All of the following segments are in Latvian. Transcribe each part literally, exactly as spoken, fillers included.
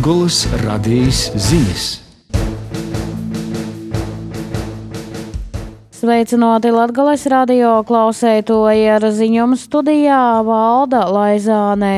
Latgoles radijas ziņas. Sveicināti Latgoles radio klausētoji, ar ziņojumu studijā Valda Laizāne.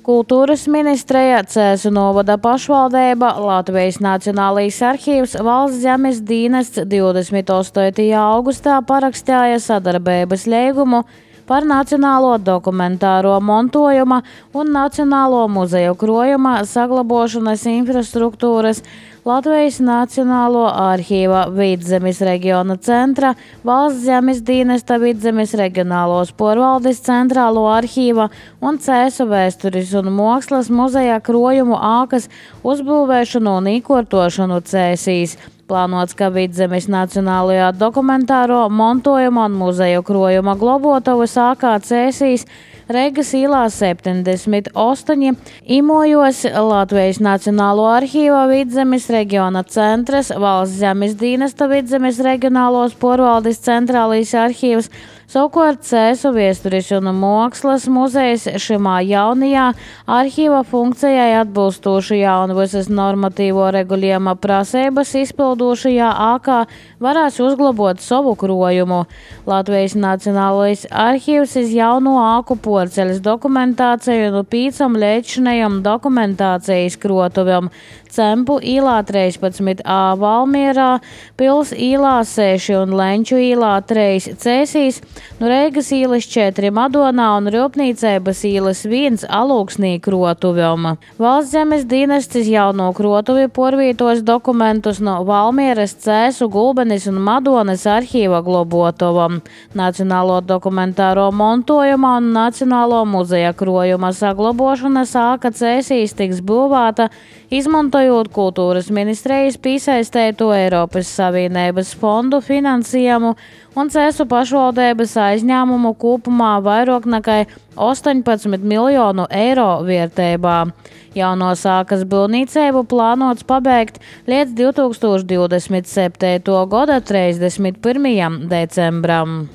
Kultūras ministreja, Cēsu novada pašvaldība, Latvijas Nacionālais arhīvs, Valsts zemes dienests divdesmit astotajā augustā parakstīja sadarbības līgumu par nacionālo dokumentāro montojuma un nacionālo muzeju krojuma saglabāšanas infrastruktūras, Latvijas Nacionālo arhīva Vidzemes reģiona centra, Valsts zemes dienesta Vidzemes reģionālos porvaldes centrālo arhīva un Cēsu vēstures un mākslas muzeja krojumu ākas uzbūvēšanu un īkortošanu Cēsīs. Plānots, ka Vidzemes Nacionālajā dokumentāro montojuma un muzeju krojuma globotavas ākā Cēsīs Reigas īlā septiņdesmit astoņi imojos Latvijas Nacionālo arhīva Vidzemes reģiona centrs, Valsts zemes dienesta Vidzemes reģionālos porvaldes centrālais arhīvs, savukārt Cēsu vēstures un mākslas muzejs šimā jaunajā arhīva funkcijai atbilstošajā un visas normatīvo regulējuma prasības izpildošajā ākā varēs uzglabot savu krojumu. Latvijas Nacionālais arhīvs iz jauno āku porceļas dokumentāciju un pīcam liečinējam dokumentācijas krotuviem Cempu īlā trīspadsmit A Valmierā, Pils īlā seši un Lenču īlā trīs Cēsīs, no Reigas īlas četri Madonā un Rūpnīcības īlas viens Alūksnī krotuviem. Valsts zemes dienests iz jauno krotuvi porvītos dokumentus no Valmieras, Cēsu, Gulbenes un Madonas arhīva globotovam. Nacionālo dokumentāro montojuma un Nacionālo muzeja krojuma saglabošanas āka Cēsīs tiks būvēta, izmantojot kultūras ministrijas piesaistēto Eiropas Savienības fondu finansējumu un Cēsu pašvaldības aizņēmumu kopumā vairāk nekā astoņpadsmit miljonu eiro vērtībā. Jaunos ākas būvniecību plānots pabeigt līdz divtūkstoš divdesmit septītā gada trīsdesmit pirmajam decembram.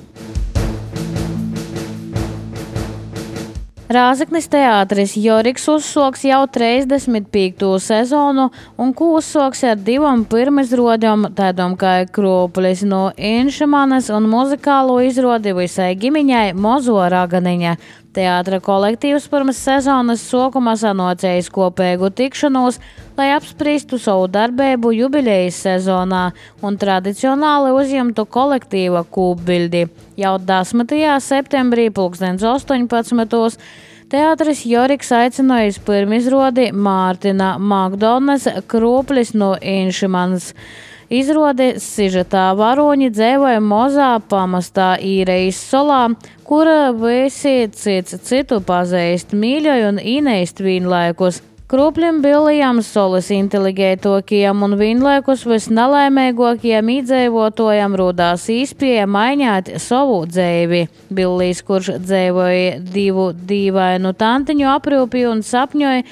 Rāzaknis teātris Joriks uzsoks jau trīsdesmit piekto sezonu un ko uzsoks ar divam pirmizrodam, tādam kā Krūplis no Inšamanas un muzikālo izrodi visai gimiņai Mozo Raganiņa. Teātra kolektīvs pirms sezonas sākuma sanocējis kopēgu tikšanos, lai apspriestu savu darbību jubilejas sezonā un tradicionāli uzņemtu kolektīva kūpbildi. Jau desmitajā septembrī pulkstens astoņpadsmitos teātris Joriks aicināja uz pirmizrodi Mārtina Makdonas Krūplis no Inšamanas. Izrodi sižetā varoņi dzīvoja Mozā pamastā Īrejas solā, kura visi cits citu pazīst mīļoju un īneist vienlaikus. Krūplim bilijam solis inteliģētokajam un vienlaikus visnelaimīgākajam iedzīvotājam rodās īspēja mainīt savu dzīvi. Billijs, kurš dzīvoja divu dīvainu tantiņu aprūpi un sapņoja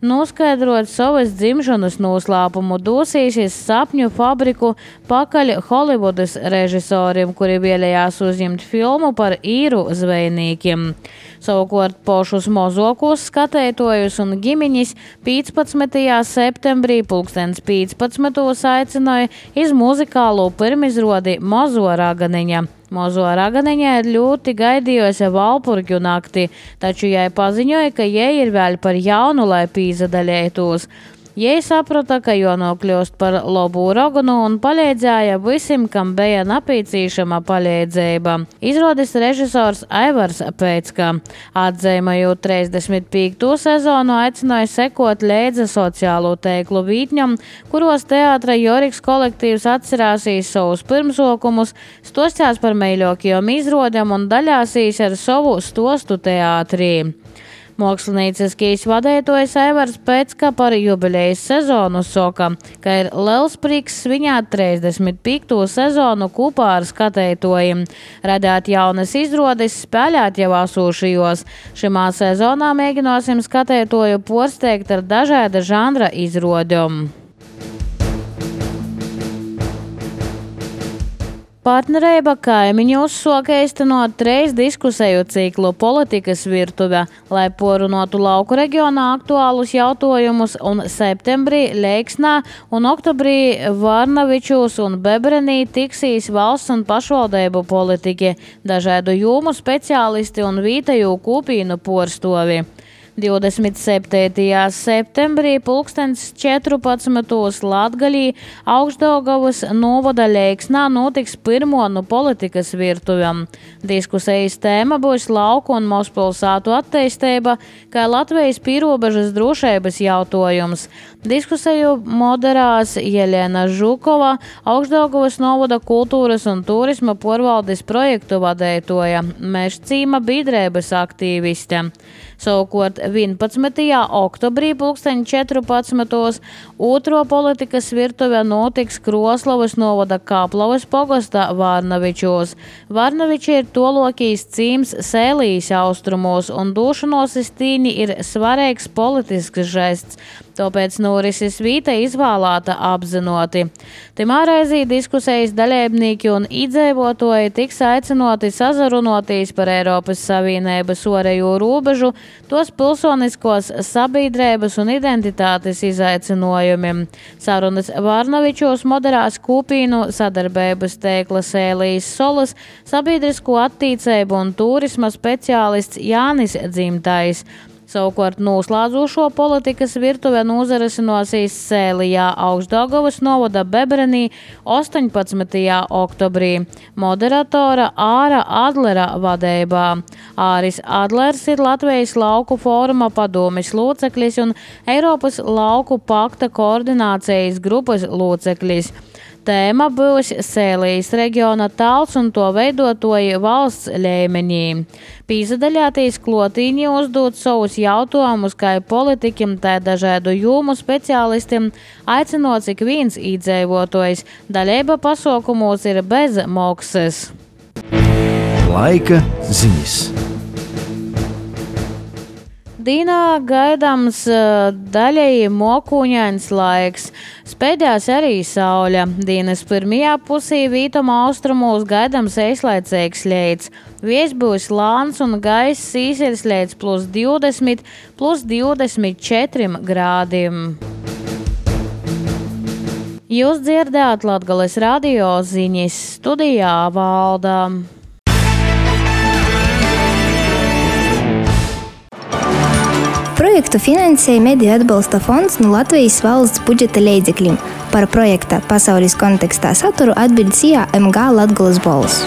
noskaidrot savas dzimšanas noslēpumu, dosīsies sapņu fabriku pakaļ Holivudas režisoriem, kuri vēlējās uzņemt filmu par īru zvejniekiem. Savukārt pošus mozokos skatētojus un ģimiņas piecpadsmitajā septembrī pulkstens piecpadsmitos aicināja iz muzikālo pirmizrodi Mozo Raganiņa. Mozo Raganiņa ir ļoti gaidījusi Valpurģu nakti, taču jai paziņoja, ka jai ir vēl par jaunu, lai pīzadaļētos. Jai saprata, ka jānokļūst par labu raganu un palīdzēja visiem, kam bija nepieciešama palīdzība. Izrādis režisors Aivars Pēcka. Atzīmējot trīsdesmit piekto sezonu, aicināja sekot līdzi sociālo tīklu vītņam, kuros teātra Joriks kolektīvs atcerēsīs savus pirmsokumus, stostās par mīļākajiem izrodēm un daļāsīs ar savu stostu teātrī. Mākslinieciskais vadītājs Aivars Pēcka par jubilejas sezonu soka, ka ir liels prieks svinēt trīsdesmit piekto sezonu kopā ar skatētojiem, radīt jaunas izrodes, spēlēt jau esošajos. Šimā sezonā mēģināsim skatētoju porsteigt ar dažāda žanra izrodēm. Partnerība kaimiņu uzsoka īstenot trīs diskusiju ciklu politikas virtuve, lai porunotu lauku reģionā aktuālus jautājumus, un septembrī Leiksnā un oktobrī Varnavičūs un Bebrenī tiksīs valsts un pašvaldību politiķi, dažādu jomu speciālisti un vietēju kopīnu porstovi. divdesmit septītajā septembrī pulkstens četrpadsmitos Latgalī Augšdaugavas novada Leiksnā notiks pirmo no politikas virtuvēm. Diskusijas tēma būs lauku un mazpilsētu attīstība, kā Latvijas pīrobežas drošības jautājums. Diskusiju moderās Jelena Žukova, Augšdaugavas novada kultūras un turisma porvaldes projektu vadītoja, Mežcīma biedrības aktīviste. Savukārt vienpadsmitajā oktobrī pulksteņa četrpadsmitos otro politikas virtuve notiks Kroslavas novada Kaplavas pogasta Varnavičos. Varnaviči ir tolokīs cīms Sēlijas austrumos, un došanos iz tīni ir svarīgs politisks žests. Tāpēc norises vīta izvēlēta apzinoti. Timā reizī diskusijas dalībnieki un iedzīvotāji tiks aicinoti sazarunoties par Eiropas Savienības ārējo robežu, tos pilsoniskos sabiedrības un identitātes izaicinājumiem. Sarunas Varnavičos moderās kopīnu sadarbības tīkla Sēlijas solas sabiedrisko attīstību un turisma speciālists Jānis Dzimtais. Savukārt noslēdzošo politikas virtuve nozarisinosies Sēlijā Augšdaugavas novada Bebrenī astoņpadsmitajā oktobrī moderatora Āra Adlera vadībā. Āris Adlers ir Latvijas lauku fóruma padomes loceklis un Eiropas lauku pakta koordinācijas grupas loceklis. Tēma būs Sēlijas reģiona tāls un to veidotoji valsts līmenī. Pīsadaļātīs klotīņi uzdot savus jautājumus kā politiķim, tā dažādu jomu speciālistiem, aicinot ik viens iedzīvotājs. Daļība pasaukumos ir bez maksas. Laika ziņas. Dīnā gaidāms daļēji mokuņains laiks. Spēdās arī saule. Dienas pirmajā pusī vītuma austrumos gaidāms īslaicīgs lietus. Vējš būs lāns un gaiss īsies līdz plus divdesmit, plus divdesmit četriem grādiem. Jūs dzirdējāt Latgales radio ziņas, studijā Valda. Projektu finansēja Mediju atbalsta fonds no Latvijas valsts budžeta līdzekļiem. Par projekta pasaules kontekstā saturu atbild C A M G Latgales balss.